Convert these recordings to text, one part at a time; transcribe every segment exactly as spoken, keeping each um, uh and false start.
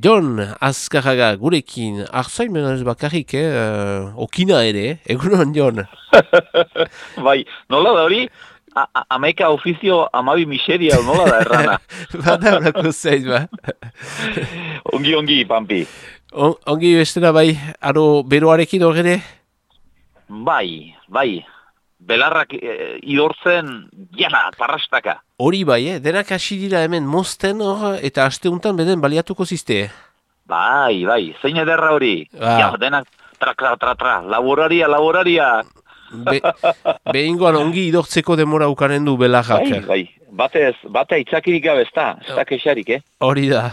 Jon Azkarraga gurekin, arzain menaz bakarrik, eh? Uh, okina ere, egunon Jon. Bai, nola da hori? A- a- Amaika ofizio amabi miseria, nola da errana? Bada horako zait, ba. Ongi, ongi, Pampi. On, ongi bestera bai, aro beroarekin horre? Bai, bai. Belarrak e, idortzen, jana, parrastaka. Hori bai, eh? Denak hasi dira hemen mozten hor, eta asteuntan beden baliatuko ziste. Bai, bai, zein ederra hori. Ah. Ja, denak, tra, tra, tra, tra, laboraria, laboraria. Be, behingoan ongi idortzeko demora ukanen du belarrak. Bai, bai, batez, bate aitzakirik gabe, ez da, ez da kexarik, eh? Hori da.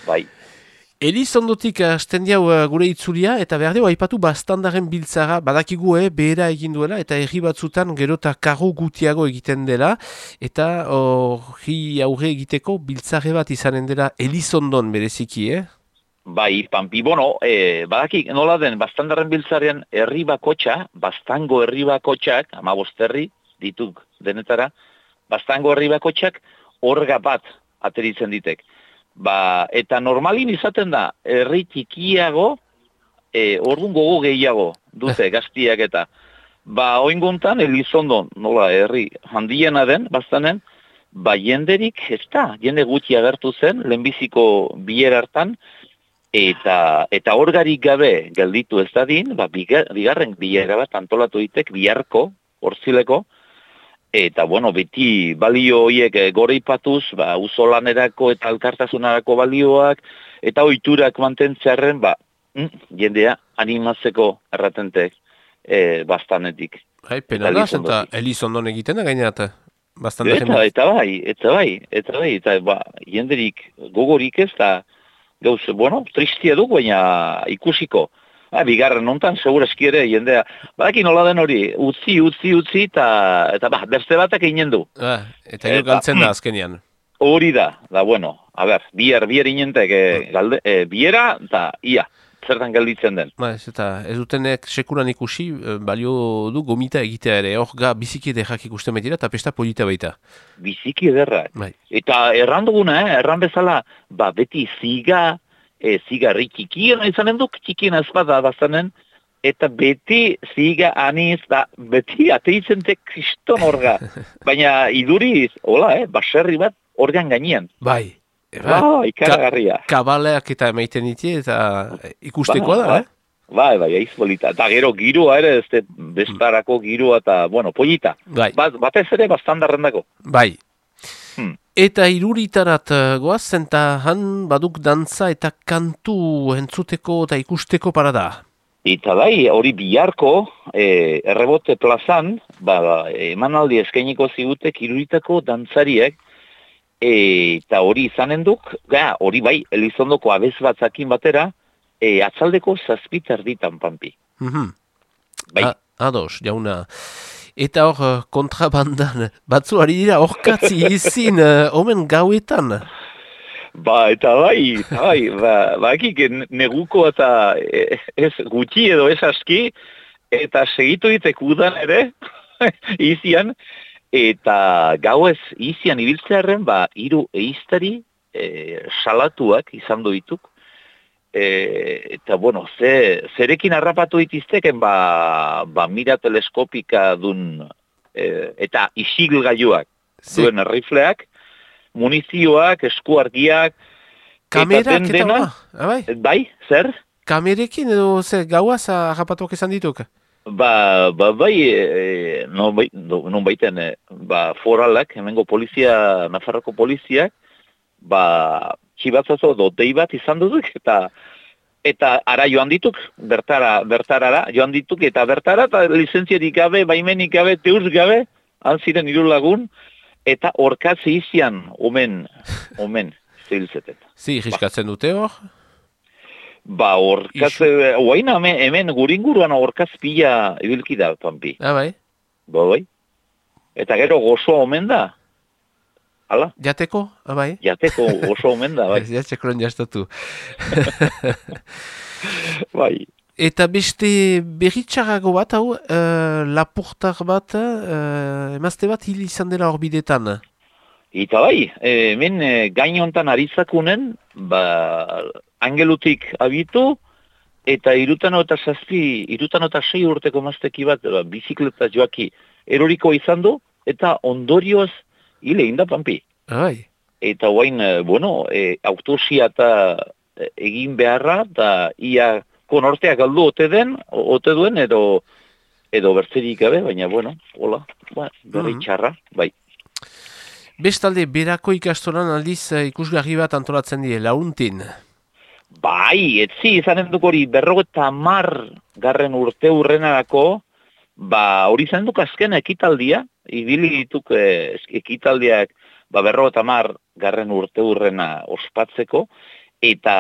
Bai. Elizondotik hasten diau uh, gure itzulia, eta behar dugu aipatu bastandaren biltzara, badakigu eh, behera egin duela, eta herri batzutan gero eta karro gutiago egiten dela, eta hori aurre egiteko biltzare bat izanen dela Elizondon bereziki, eh? Bai, Pampi, bueno, e, badakik nola den, bastandarren biltzaren herri bakotxa, bastango herri bakotxak, amabost herri, dituk denetara, bastango herri bakotxak orga bat ateritzen ditek. Ba, eta normalin izaten da, herri txikiago, e, orduan gogo gehiago dute gaztiak eta. Ba, oinguntan, Elizondon, nola, herri handiena den, bastanen, ba, jenderik, ez da, jende gutxi agertu zen, lehenbiziko bier hartan, eta eta orgarik gabe gelditu ez dadin, ba, bigar, bigarren bilera bat antolatu ditek, biharko, horzileko, eta, bueno, beti balio horiek goreipatuz, ba, uzolanerako eta alkartasunarako balioak, eta ohiturak mantentzearen, ba, mm, jendea animatzeko erratentek e, bastanetik. Hai, pena da, eta Elizondon egiten da gaineat, bastante eta, eta bai, eta bai, eta bai, eta ba, jenderik gogorik ez da, gauz, bueno, tristia du, baina ikusiko. Ha, bigarren nontan, segurazki ere, jendea, badaki nola den hori, utzi, utzi, utzi, eta, eta ba, beste batak eginen du. Ah, eta gero galtzen da azkenian. Hori da, da, bueno, a ber, bier, bier inentek, e, galde, e, biera, eta ia, zertan gelditzen den. Ba, ez, eta ez dutenek sekuran ikusi, balio du gomita egitea ere, hor ga biziki ederrak ikusten baitira, eta pesta polita baita. Biziki ederrak. Bai. Eta erran duguna, eh, erran bezala, ba, beti ziga, E, zigarri txikiena izanen duk, txikiena ezpada bazanen, eta beti ziga aniz, da beti ateizentek kriston orga. Baina iduriz, hola, eh, baserri bat organ gainean. Bai. Ba, ikaragarria. Ka, kabaleak eta emaiten ditie, eta ikustekoa ba, da, ba. eh? Bai, bai, aiz bolita. Eta gero giroa ere, ez bestarako giroa eta, bueno, polita. Bai. Bat, batez ere bastandarren dago. Bai. Hmm. Eta iruritarat goaz, eta han baduk dantza eta kantu entzuteko eta ikusteko parada. Eta bai, hori biharko, e, errebote plazan, ba, emanaldi eskainiko zigutek iruritako dantzariek, e, eta hori izanen duk, ga, hori bai, Elizondoko abez batzakin batera, e, atzaldeko zazpitar ditan, Pampi. Mm-hmm. Bai. A, ados, jauna. Eta hor, kontrabandan, batzu ari dira horkatzi izin, uh, omen gauetan. Ba, eta bai, bai, ba, bakik neguko eta ez gutxi edo ez aski, eta segitu ditek udan ere, izian, eta gauez izian ibiltzearen, ba, hiru eiztari e, salatuak izan dituk. E, eta, bueno, ze, zerekin harrapatu ditizteken, ba, ba mira teleskopika dun, e, eta isilgailuak duen rifleak, munizioak, eskuargiak, kamerak eta dena, bai? Bai, zer? Kamerekin edo zer gauaz harrapatuak izan dituk? Ba, ba bai, e, non, bai, non baiten, e, ba, foralak, hemengo polizia, Nafarroko poliziak, ba, txibatzazo dotei bat izan duduk, eta eta ara joan dituk, bertara, bertarara joan dituk, eta bertara, eta lizentziarik gabe, baimenik gabe, teuz gabe, antziren hiru lagun, eta orkatze izian, omen, omen, zehilzetet. Zi, jiskatzen dute hor? Ba, orkatze, oaina hemen, hemen guringuruan orkatz pila ibilki da, Pampi. Ah, bai? Ba, bai. Eta gero gozoa omen da. Hala? Jateko, abai? Jateko oso omen da, bai. Jatzekoren jastatu. Bai. Eta beste berritxarrago bat, hau, uh, lapurtar bat, uh, emazte bat hil izan dela horbidetan. Eta bai, e, hemen e, gain hontan arizakunen, ba, angelutik abitu, eta irutano eta zazpi, irutano eta sei urteko mazteki bat, ba, bizikleta joaki eroriko izan du, eta ondorioz hile inda Pampi. Ai. Eta guain, e, bueno, e, autosia eta e, egin beharra, eta ia konorteak galdu ote den, ote duen, edo, edo bertzerik gabe, baina, bueno, hola, ba, berri txarra, bai. Bestalde, berako ikastolan aldiz ikusgarri bat antolatzen die, launtin. Bai, etzi izanen duk hori berrogeta mar garren urte hurrenarako, ba hori izan duk azken ekitaldia, ibili dituk eh, ekitaldiak ba, berrogeta mar garren urte hurrena ospatzeko, eta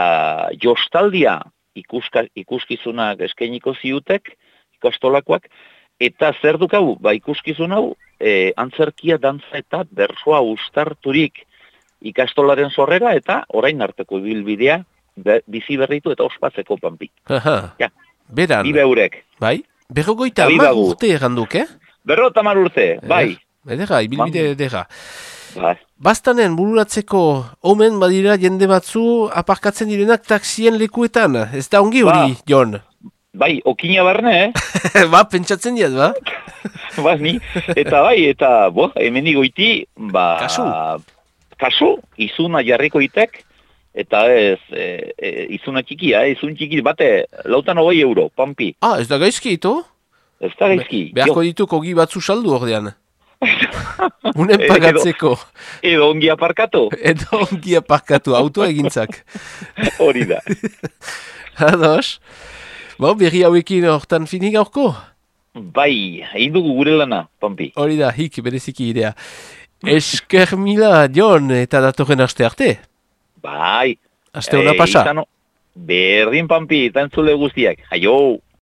jostaldia ikuska, ikuskizunak eskainiko ziutek, ikastolakoak, eta zer duk hau, ba ikuskizun hau, e, antzerkia, dantza eta bersoa ustarturik ikastolaren sorrera, eta orain arteko ibilbidea be, bizi berritu eta ospatzeko Pampi. Aha, ja. Beran. Bi beurek. Bai, berrogoita hamar urte erranduk, eh? Berrogeita hamar urte, bai. Edera, ibilbide edera. Bai. Bastanen bururatzeko omen badira jende batzu aparkatzen direnak taksien lekuetan. Ez da ongi hori, ba. Jon? Bai, okina barne, eh? ba, pentsatzen diat, ba? ba, ni. Eta bai, eta, bo, hemen igoiti, ba... Kasu. Kasu, izuna jarriko itek, eta ez, e, e, izuna txikia, eh? Izun txiki, bate, lautan hogei euro, Pampi. Ah, ez da gaizki, ito? Ez da gaizki. Be, beharko dituk ogi batzu saldu ordean. Unen pagatzeko. Edo, edo ongi aparkatu. Edo ongi aparkatu, autoa egintzak. Hori da. Ados. Bo, berri hauekin hortan finik aurko? Bai, egin dugu gure lana, Pampi. Hori da, hik, bereziki idea. Esker mila, Jon, eta datorren aste arte? Bai. Aste hona pasa? Berdin, Pampi, eta entzule guztiak. Aio!